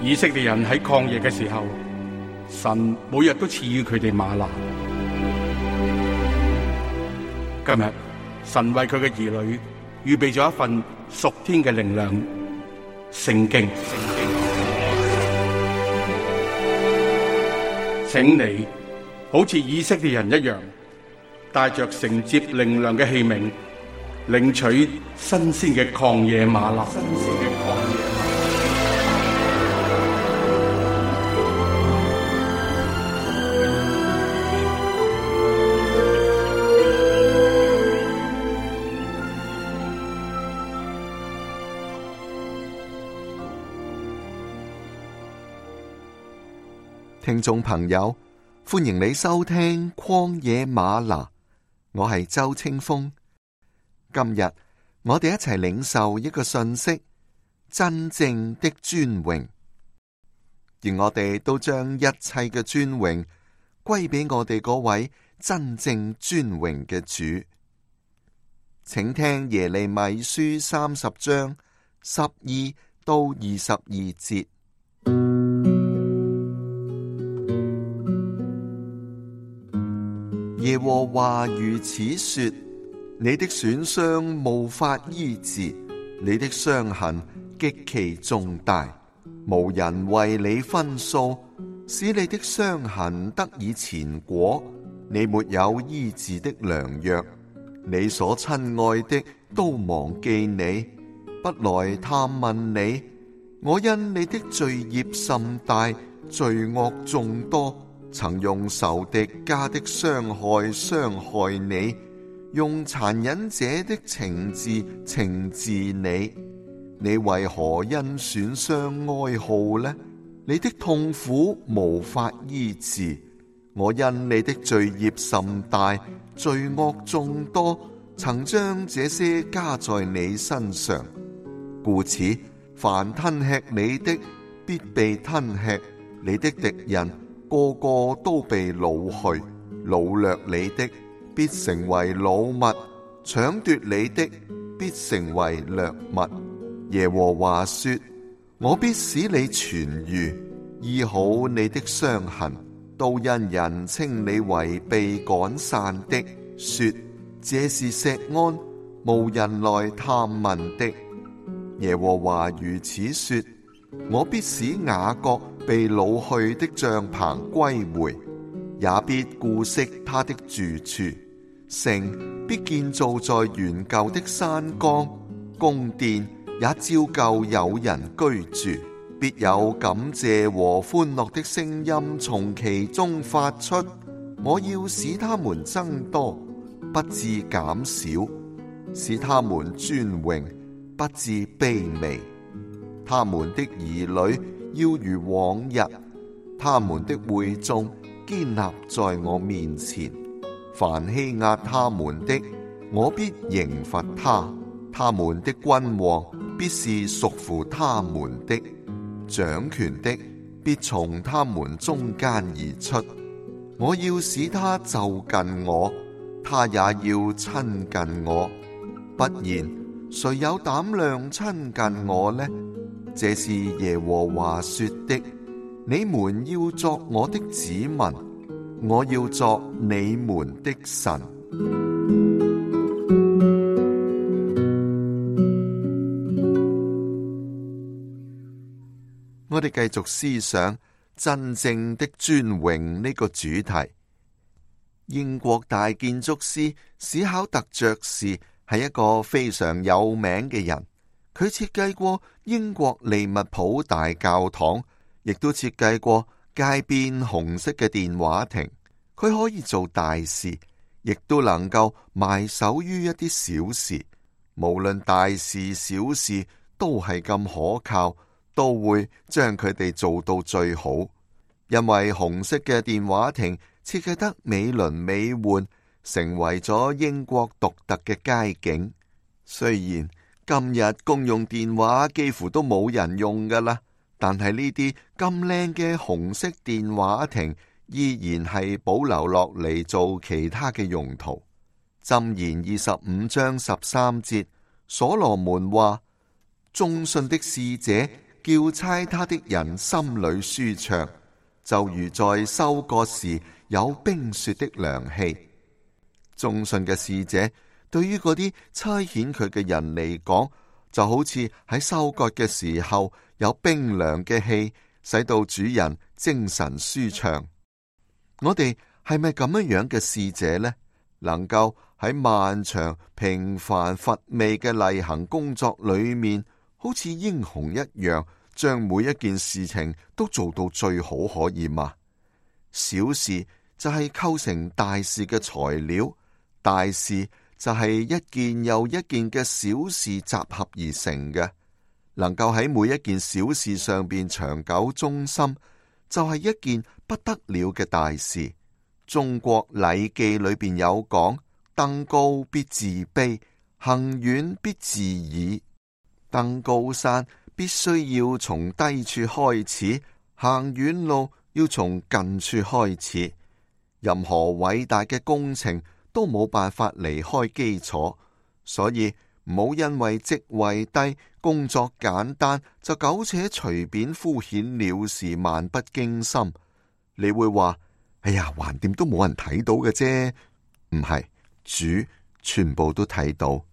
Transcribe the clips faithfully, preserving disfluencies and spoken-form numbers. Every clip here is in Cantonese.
以色列人喺曠野嘅時候，神每日都賜予佢哋嗎哪。今日神為佢嘅兒女預備咗一份屬天嘅靈糧——聖經。請你好似以色列人一樣，帶着承接靈糧嘅器皿，領取新鮮嘅曠野嗎哪。聽眾朋友，歡迎你收聽曠野嗎哪，我係周清風。今日我哋一齊領受一個信息：真正的尊榮。而我哋都將一切嘅尊榮歸俾我哋嗰位真正尊榮嘅主。請聽耶利米書三十章十二到二十二節。耶和華如此說：你的損傷無法醫治，你的傷痕極其重大，無人為你分訴，使你的傷痕得以前果。你沒有醫治的良藥，你所親愛的都忘記你，不來探問你。我因你的罪孽甚大，罪惡眾多，曾用仇敵家的傷害傷害你，用殘忍者的懲治懲治你。你為何因損傷哀號呢？你的痛苦無法醫治。我因你的罪孽甚大，罪惡眾多，曾將這些加在你身上。故此，凡吞吃你的，必被吞吃；你的敵人個個都被擄去，擄掠你的必成為擄物，搶奪你的必成為掠物。耶和華說：我必使你痊癒，醫好你的傷痕。都因人稱你為被趕散的，說這是錫安，無人來探問的。耶和華如此說：我必使雅各被擄去的帳棚歸回，也必顧惜他的住處。城必建造在原舊的山崗，宮殿也照舊有人居住，必有感謝和歡樂的聲音從其中發出。我要使他們增多，不致減少；使他們尊榮，不致卑微。他們的兒女要如往日，他們的會眾堅立在我面前。凡欺壓他們的，我必刑罰他；他們的君王必是屬乎他們的，掌權的必從他們中間而出。我要使他就近我，他也要親近我。不然，誰有膽量親近我呢？這是耶和華說的。你們要作我的子民，我要作你們的神。我哋繼續思想真正的尊榮呢個主題。英國大建築師史考特爵士係一個非常有名嘅人，佢設計過英國利物浦大教堂，亦都設計過街邊紅色嘅電話亭。佢可以做大事，亦都能夠埋首於一啲小事。無論大事小事都係咁可靠，都會將佢哋做到最好。因為紅色嘅電話亭設計得美輪美奐，成為咗英國獨特嘅街景。雖然今日公用電話幾乎都冇人用噶啦，但係呢啲咁靚嘅紅色電話亭依然係保留落嚟做其他嘅用途。箴言二十五章十三節，所羅門話：忠信的使者叫差他的人心裏舒暢，就如在收割時有冰雪的涼氣。忠信嘅使者對於嗰啲差遣佢嘅人嚟講，就好似喺收割嘅時候有冰涼嘅氣，使到主人精神舒暢。我哋係咪咁樣樣嘅使者呢？能夠喺漫長平凡乏味嘅例行工作裏面，好似英雄一樣，將每一件事情都做到最好，可以嗎？小事就係構成大事嘅材料，大事就係一件又一件嘅小事集合而成嘅。能夠喺每一件小事上邊長久忠心，就係一件不得了嘅大事。中國禮記裏邊有講：登高必自卑，行遠必自倚。登高山必須要從低處開始，行遠路要從近處開始。任何偉大嘅工程都冇辦法離開基礎，所以唔好因為職位低、工作簡單就苟且隨便敷衍了事，漫不經心。你會話：哎呀，橫掂都冇人睇到嘅啫。唔係，主全部都睇到。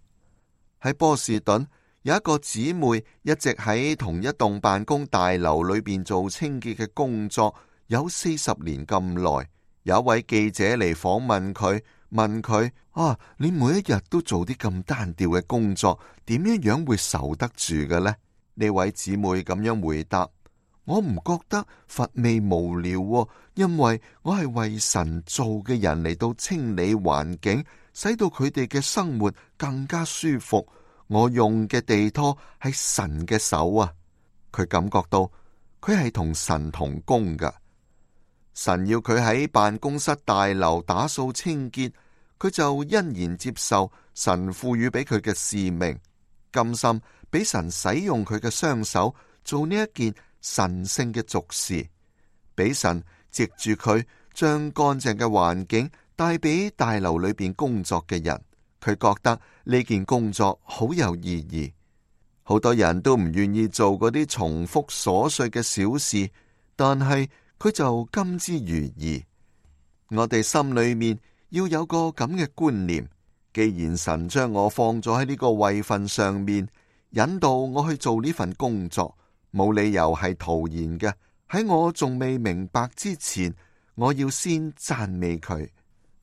喺波士頓有一個姊妹一直喺同一棟辦公大樓裏邊做清潔嘅工作，有四十年咁耐。有一位記者嚟訪問佢，問佢：啊，你每一日都做啲咁單調嘅工作，點樣樣會受得住嘅呢？呢位姊妹咁樣回答：我唔覺得乏味無聊喎，因為我係為神做嘅人嚟到清理環境，使到佢哋嘅生活更加舒服。我用嘅地拖係神嘅手啊！佢感覺到佢係同神同工噶。神要佢喺辦公室大樓打掃清潔，佢就欣然接受神賦予俾佢嘅使命，甘心俾神使用佢嘅雙手做呢一件神聖嘅俗事，俾神藉住佢將乾淨嘅環境帶俾大樓裏邊工作嘅人。佢覺得呢件工作好有意義。好多人都唔願意做嗰啲重複瑣碎嘅小事，但係佢就甘之如飴。我哋心裏面要有個咁嘅觀念，既然神將我放咗喺呢個位份上面，引導我去做呢份工作，冇理由係徒然嘅。喺我仲未明白之前，我要先讚美佢，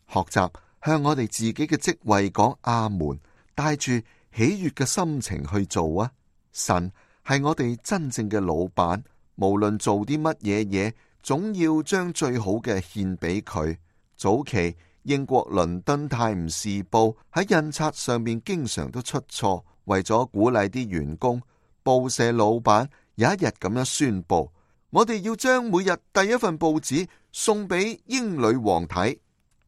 學習向我哋自己嘅職位講阿門，帶住喜悅嘅心情去做啊！神係我哋真正嘅老闆，無論做啲乜嘢嘢，總要將最好嘅獻俾佢。早期英國倫敦泰晤士報喺印刷上面經常都出錯，為咗鼓勵啲員工，報社老闆有一日咁樣宣布：我哋要將每日第一份報紙送俾英女王睇。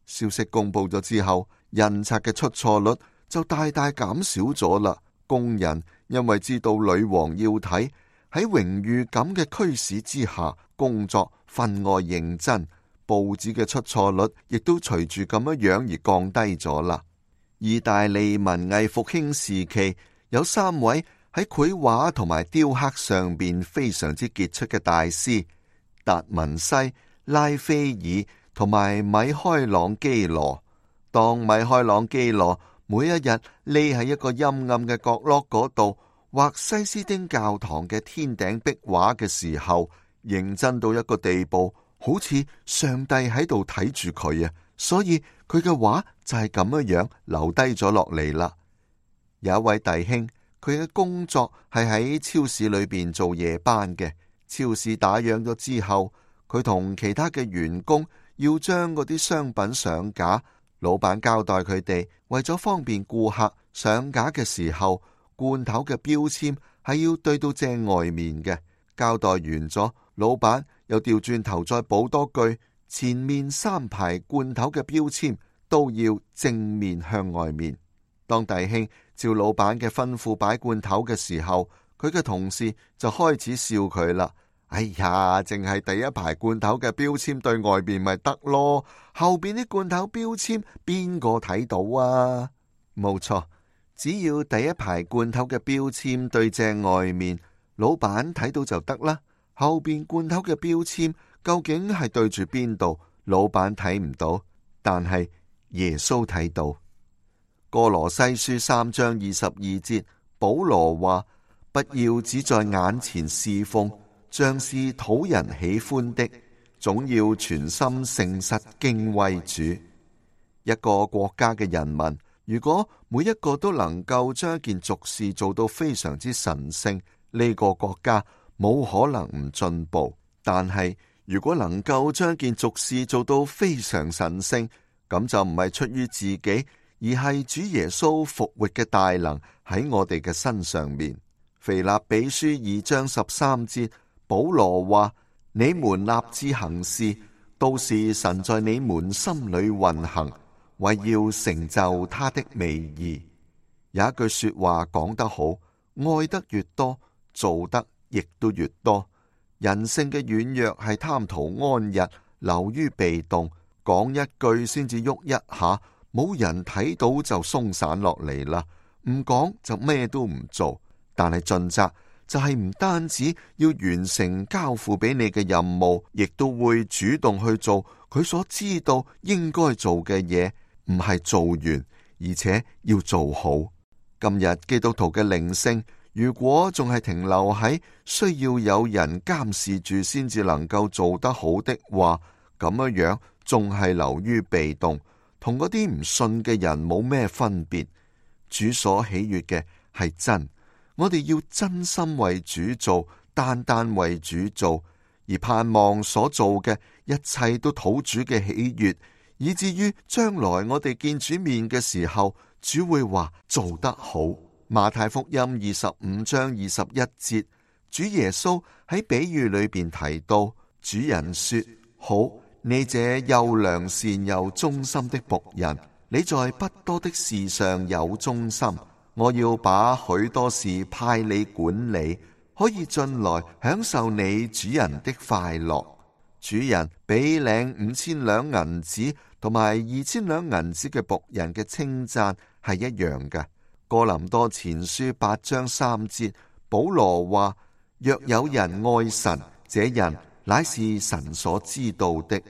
消息公布咗之後，印刷嘅出錯率就大大減少咗啦。工人因為知道女王要睇，喺榮譽感嘅驅使之下，工作分外認真，報紙嘅出錯率亦都隨住咁樣樣而降低咗啦。意大利文藝復興時期有三位喺繪畫同埋雕刻上邊非常之傑出嘅大師：達文西、拉斐爾同埋米開朗基羅。當米開朗基羅每一日匿喺一個陰暗嘅角落嗰度畫西斯丁教堂嘅天頂壁畫嘅時候，認真到一個地步，好似上帝喺度睇住佢啊！所以佢嘅畫就係咁樣樣留低咗落嚟啦。有一位弟兄，佢嘅工作係喺超市裏邊做夜班嘅。超市打烊咗之後，佢同其他嘅員工要將嗰啲商品上架。老闆交代佢哋，為咗方便顧客上架嘅時候，罐頭嘅標籤係要對到正外面嘅。交代完咗，老闆又調轉頭再補多句：前面三排罐頭嘅標籤都要正面向外面。當弟兄照老闆嘅吩咐擺罐頭嘅時候，佢嘅同事就開始笑佢啦。哎呀，淨係第一排罐頭嘅標籤對外面咪得咯，後邊啲罐頭標籤邊個睇到啊？冇錯，只要第一排罐頭嘅標籤對正外面，老闆睇到就得啦。後邊罐頭嘅標籤究竟係對住邊度？老闆睇唔到，但係耶穌睇到。哥羅西書三章二十二節，保羅話：不要只在眼前侍奉，像是討人喜歡的，總要全心誠實敬畏主。一個國家嘅人民，如果每一個都能夠將一件俗事做到非常之神聖，呢個國家冇可能唔進步。但係如果能夠將一件俗事做到非常神聖，咁就唔係出於自己，而係主耶穌復活嘅大能喺我哋嘅身上面。腓立比書二章十三節，保羅話：你們立志行事，都是神在你們心裏運行，為要成就他的美意。有一句說話講得好，愛得越多，做得亦都越多。人性嘅軟弱係貪圖安逸，流於被動，講一句先至喐一下，冇人睇到就鬆散落嚟啦。唔講就咩都唔做。但係盡責就係唔單止要完成交付俾你嘅任務，亦都會主動去做佢所知道應該做嘅嘢，唔係做完，而且要做好。今日基督徒嘅靈性，如果仲係停留喺需要有人監視住先至能夠做得好的話，咁樣樣仲係流於被動，同嗰啲唔信嘅人冇咩分別。主所喜悅嘅係真，我哋要真心為主做，單單為主做，而盼望所做嘅一切都討主嘅喜悅，以至於將來我哋見主面嘅時候，主會話做得好。馬太福音二十五章二十一節，主耶穌喺比喻裏邊提到，主人說：好，你這又良善又忠心的僕人，你在不多的事上有忠心，我要把許多事派你管理，可以進來享受你主人的快樂。主人比領五千兩銀子同埋二千兩銀子嘅僕人嘅稱讚係一樣嘅。哥林多前書八章三節，保羅話：若有人愛神，這人乃是神所知道的。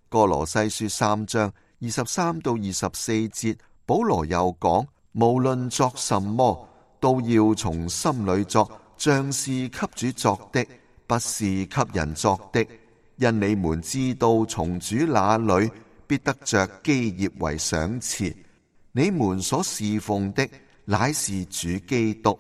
哥羅西書三章二十三到二十四節，保羅又講：無論作什麼，都要從心裏作，像是給主作的，不是給人作的。因你們知道，從主那裏必得着基業為賞賜。你們所侍奉的乃是主基督，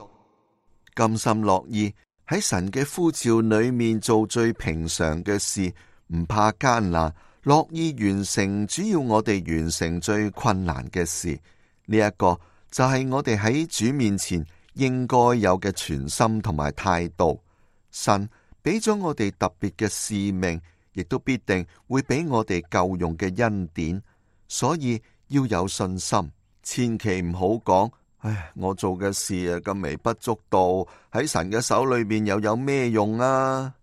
甘心樂意喺神嘅呼召裏面做最平常嘅事，唔怕艱難，樂意完成主要我哋完成最困難嘅事。呢一個就係我哋喺主面前應該有嘅全心同埋態度。神俾咗我哋特別嘅使命，亦都必定會俾我哋夠用嘅恩典，所以要有信心。千祈唔好講，唉，我做嘅事啊咁微不足道，喺神嘅手裏面又有咩用啊？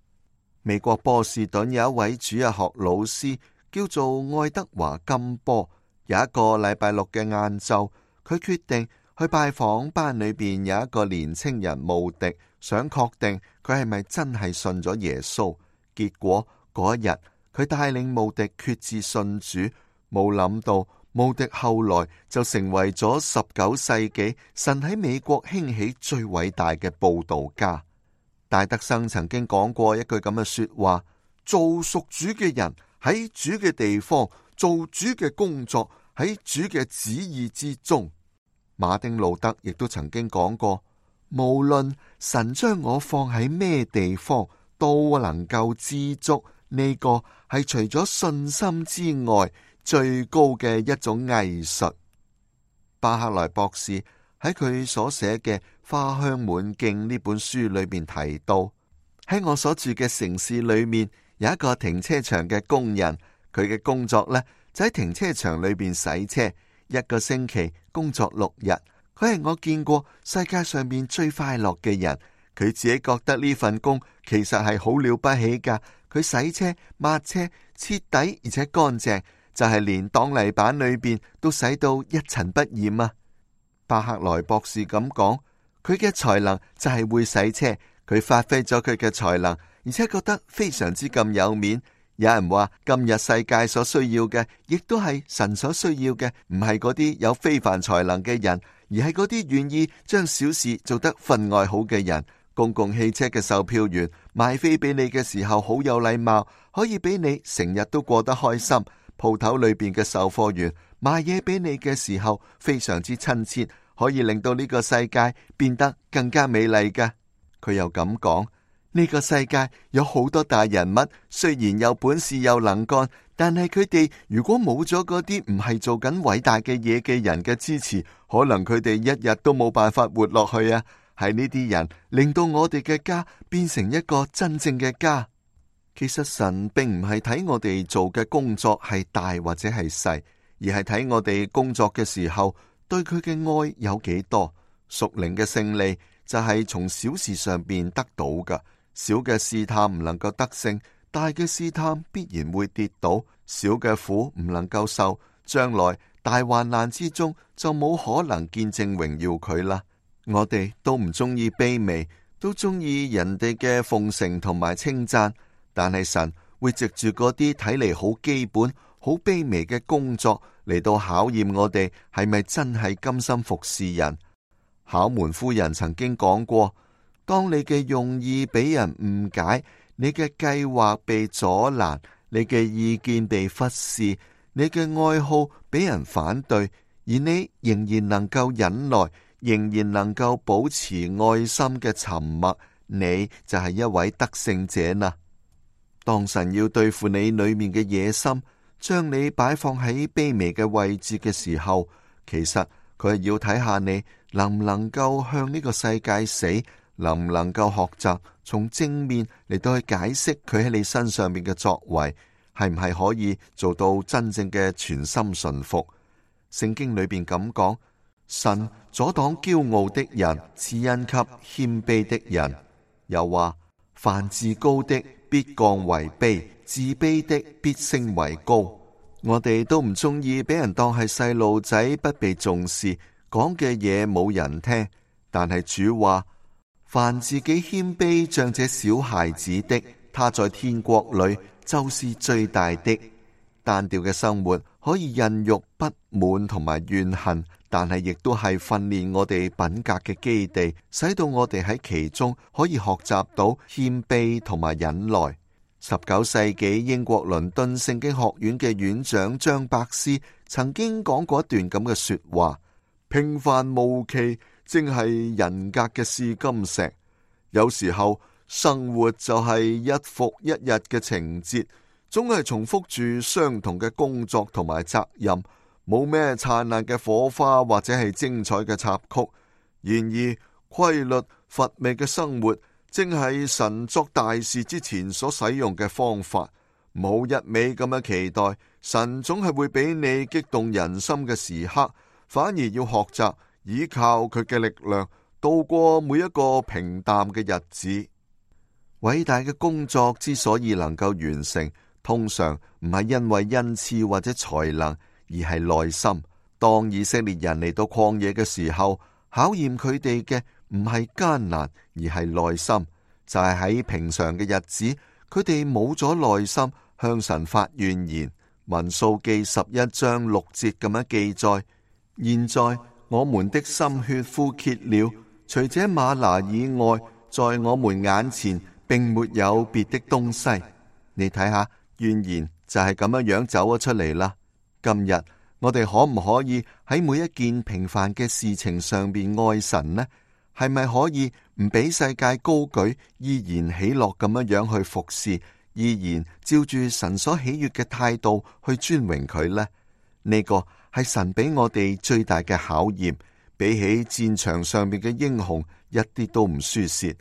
美國波士頓有一位主日學老師叫做愛德華金波，有一個禮拜六嘅晏晝，佢決定去拜訪班裏邊有一個年青人慕迪，想確定佢係咪真係信咗耶穌。結果嗰一日，佢帶領慕迪決志信主，冇諗到慕迪後來就成為咗十九世紀神喺美國興起最偉大嘅佈道家。戴德生曾經講過一句咁嘅說話：做屬主嘅人喺主嘅地方做主嘅工作，喺主嘅旨意之中。馬丁路德亦都曾經講過：無論神將我放喺咩地方，都能夠知足。呢個係除咗信心之外最高嘅一種藝術。巴克萊博士喺佢所寫嘅《花香滿徑》呢本書裏面提到，喺我所住嘅城市裏面有一個停車場嘅工人，佢嘅工作呢，就喺停車場裏邊洗車，一個星期工作六日。佢係我見過世界上面最快樂嘅人，佢自己覺得呢份工其實係好了不起噶。佢洗車、抹車，徹底而且乾淨，就係連擋泥板裏邊都洗到一塵不染啊！巴克萊博士咁講，佢嘅才能就係會洗車，佢發揮咗佢嘅才能，而且覺得非常之咁有面。有人話今日世界所需要嘅，亦都係神所需要嘅，唔係嗰啲有非凡才能嘅人，而係嗰啲願意將小事做得分外好嘅人。公共汽車嘅售票員賣飛俾你嘅時候好有禮貌，可以俾你成日都過得開心。鋪頭裏邊嘅售貨員賣嘢俾你嘅時候非常之親切，可以令到呢個世界變得更加美麗㗎。佢又咁講，呢個世界有好多大人物，雖然有本事有能幹，但係佢哋如果冇咗嗰啲唔係做緊偉大嘅嘢嘅人嘅支持，可能佢哋一日都冇辦法活落去啊！係呢啲人令到我哋嘅家變成一個真正嘅家。其實神並唔係睇我哋做嘅工作係大或者係細，而係睇我哋工作嘅時候對佢嘅愛有幾多。屬靈嘅勝利就係從小事上邊得到㗎。小嘅試探唔能夠得勝，大嘅試探必然會跌倒。小嘅苦唔能夠受，將來大患難之中就冇可能見證榮耀佢啦。我哋都唔中意卑微，都中意人哋嘅奉承同埋稱讚，但係神會藉住嗰啲睇嚟好基本、好卑微嘅工作嚟到考驗我哋係咪真係甘心服侍人。考門夫人曾經講過，當你嘅用意俾人誤解，你嘅計劃被阻攔，你嘅意見被忽視，你嘅愛好俾人反對，而你仍然能夠忍耐，仍然能夠保持愛心嘅沉默，你就係一位得勝者啦。當神要對付你裏面嘅野心，將你擺放喺卑微嘅位置嘅時候，其實佢係要睇下你能唔能夠向呢個世界死，能唔能夠學習從正面嚟到去解釋佢喺你身上面嘅作為，係唔係可以做到真正嘅全心順服。聖經裏邊咁講，神阻擋驕傲的人，賜恩給謙卑的人。又話，凡自高的必降為卑，自卑的必升為高。我哋都唔中意俾人當係細路仔，不被重視，講嘅嘢冇人聽。但係主話，凡自己謙卑像這小孩子的，他在天國裏就是最大的。單調嘅生活可以孕育不滿同埋怨恨，但係亦都係訓練我哋品格嘅基地，使到我哋喺其中可以學習到謙卑同埋忍耐。十九世紀英國倫敦聖經學院嘅院長張伯斯曾經講過一段咁嘅說話：平凡無奇正係人格嘅試金石，有時候生活就係一復一日嘅情節，總係重複住相同嘅工作同埋責任，冇咩燦爛嘅火花或者係精彩嘅插曲。然而規律乏味嘅生活正係神作大事之前所使用嘅方法。唔好一味咁樣期待神總係會俾你激動人心嘅時刻，反而要學習依靠佢嘅力量度過每一個平淡嘅日子。偉大嘅工作之所以能夠完成，通常唔係因為恩賜或者才能，而係耐心。當以色列人嚟到曠野嘅時候，考驗佢哋嘅唔係艱難，而係耐心。就係喺平常嘅日子，佢哋冇咗耐心向神發怨言。民數記十一章六節咁樣記載：現在我們的心血枯竭了，除這嗎哪以外，在我們眼前並沒有別的東西。你睇下，怨言就係咁樣樣走咗出嚟啦。今日我哋可唔可以喺每一件平凡嘅事情上邊愛神呢？係咪可以唔俾世界高舉，依然喜樂咁樣樣去服侍，依然照住神所喜悅嘅態度去尊榮佢呢？呢個係神俾我哋最大嘅考驗，比起戰場上面嘅英雄一啲都唔輸蝕。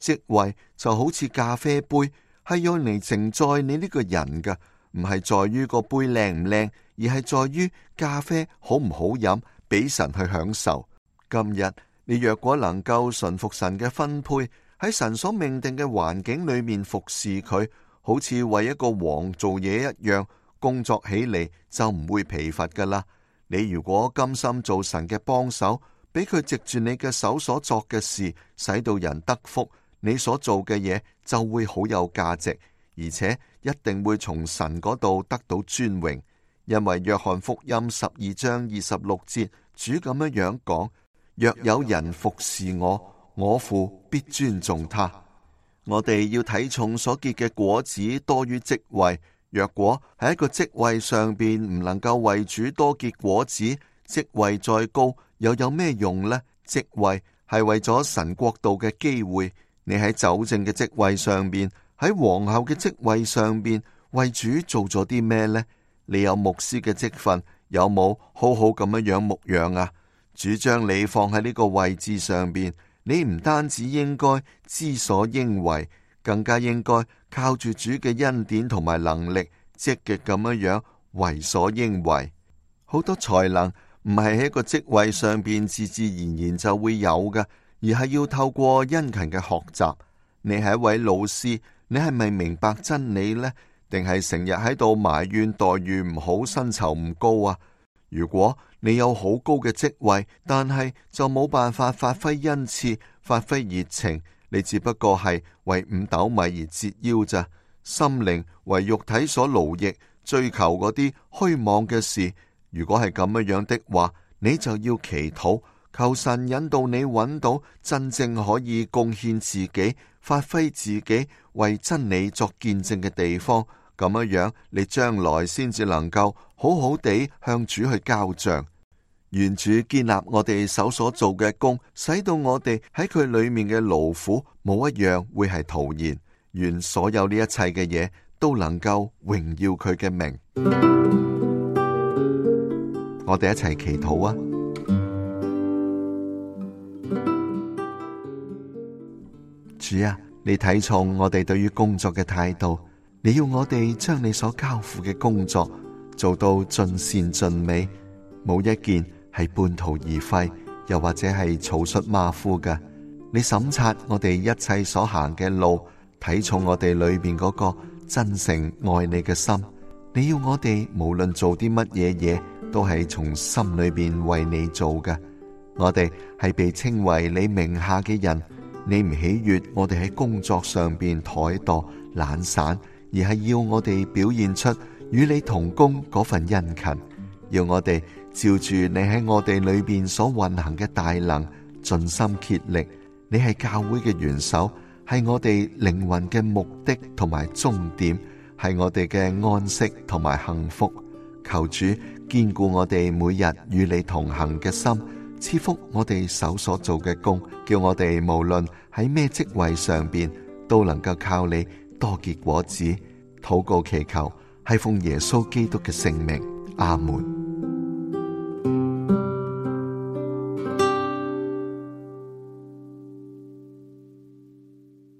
職位就好似咖啡杯，係用嚟承載你呢個人㗎，唔係在於個杯靚唔靚，而係在於咖啡好唔好飲，俾神去享受。今日你若果能夠順服神嘅分配，喺神所命定嘅環境裏面服侍佢，好似為一個王做嘢一樣，工作起嚟就唔會疲乏噶啦。你如果甘心做神嘅幫手，俾佢藉住你嘅手所作嘅事，使到人得福，你所做嘅嘢就會好有價值，而且一定會從神嗰度得到尊榮。因為約翰福音十二章二十六節，主咁樣樣講：若有人服侍我，我父必尊重他。我哋要睇重所結嘅果子多於職位。若果喺一個職位上邊唔能夠為主多結果子，職位再高又有咩用呢？職位係為咗神國度嘅機會。你喺酒政嘅職位上邊，喺皇后嘅職位上邊，為主做咗啲咩呢？你有牧師嘅職分，有冇好好咁樣樣牧養啊？主將你放喺呢個位置上邊，你唔單止應該知所應為，更加應該靠住主嘅恩典同埋能力，積極咁樣樣為所應為。好多才能唔係喺一個職位上邊自自然然就會有嘅，而係要透過殷勤嘅學習。你係一位老師，你係咪明白真理呢？定係成日喺度埋怨待遇唔好、薪酬唔高啊？如果你有好高嘅職位，但係就冇辦法發揮恩賜、發揮熱情，你只不過係為五斗米而折腰咋。心靈為肉體所勞役，追求嗰啲虛妄嘅事。如果係咁樣樣的話，你就要祈禱，求神引導你揾到真正可以貢獻自己、發揮自己、為真理作見證嘅地方。咁樣樣，你將來先至能夠好好地向主去交賬。願主建立我哋手所做嘅工，使到我哋喺佢裏面嘅勞苦冇一樣會係徒然。願所有呢一切嘅嘢都能夠榮耀佢嘅名。我哋一齊祈禱啊！主啊，你睇重我哋對於工作嘅態度，你要我哋將你所交付嘅工作做到盡善盡美，冇一件係半途而廢，又或者係草率馬虎嘅。你審察我哋一切所行嘅路，睇重我哋裏邊嗰個真誠愛你嘅心。你要我哋無論做啲乜嘢嘢，都係從心裏邊為你做嘅。我哋係被稱為你名下嘅人，你唔喜悅我哋喺工作上邊怠惰懶散，而係要我哋表現出與你同工嗰份殷勤，要我哋照住你喺我哋裏邊所運行嘅大能，盡心竭力。你係教會嘅元首，係我哋靈魂嘅目的同埋終點，係我哋嘅安息同埋幸福。求主堅固我哋每日與你同行嘅心，賜福我哋手所做嘅工，叫我哋無論喺咩職位上邊，都能夠靠你多結果子。禱告祈求係奉耶穌基督嘅聖名，阿門。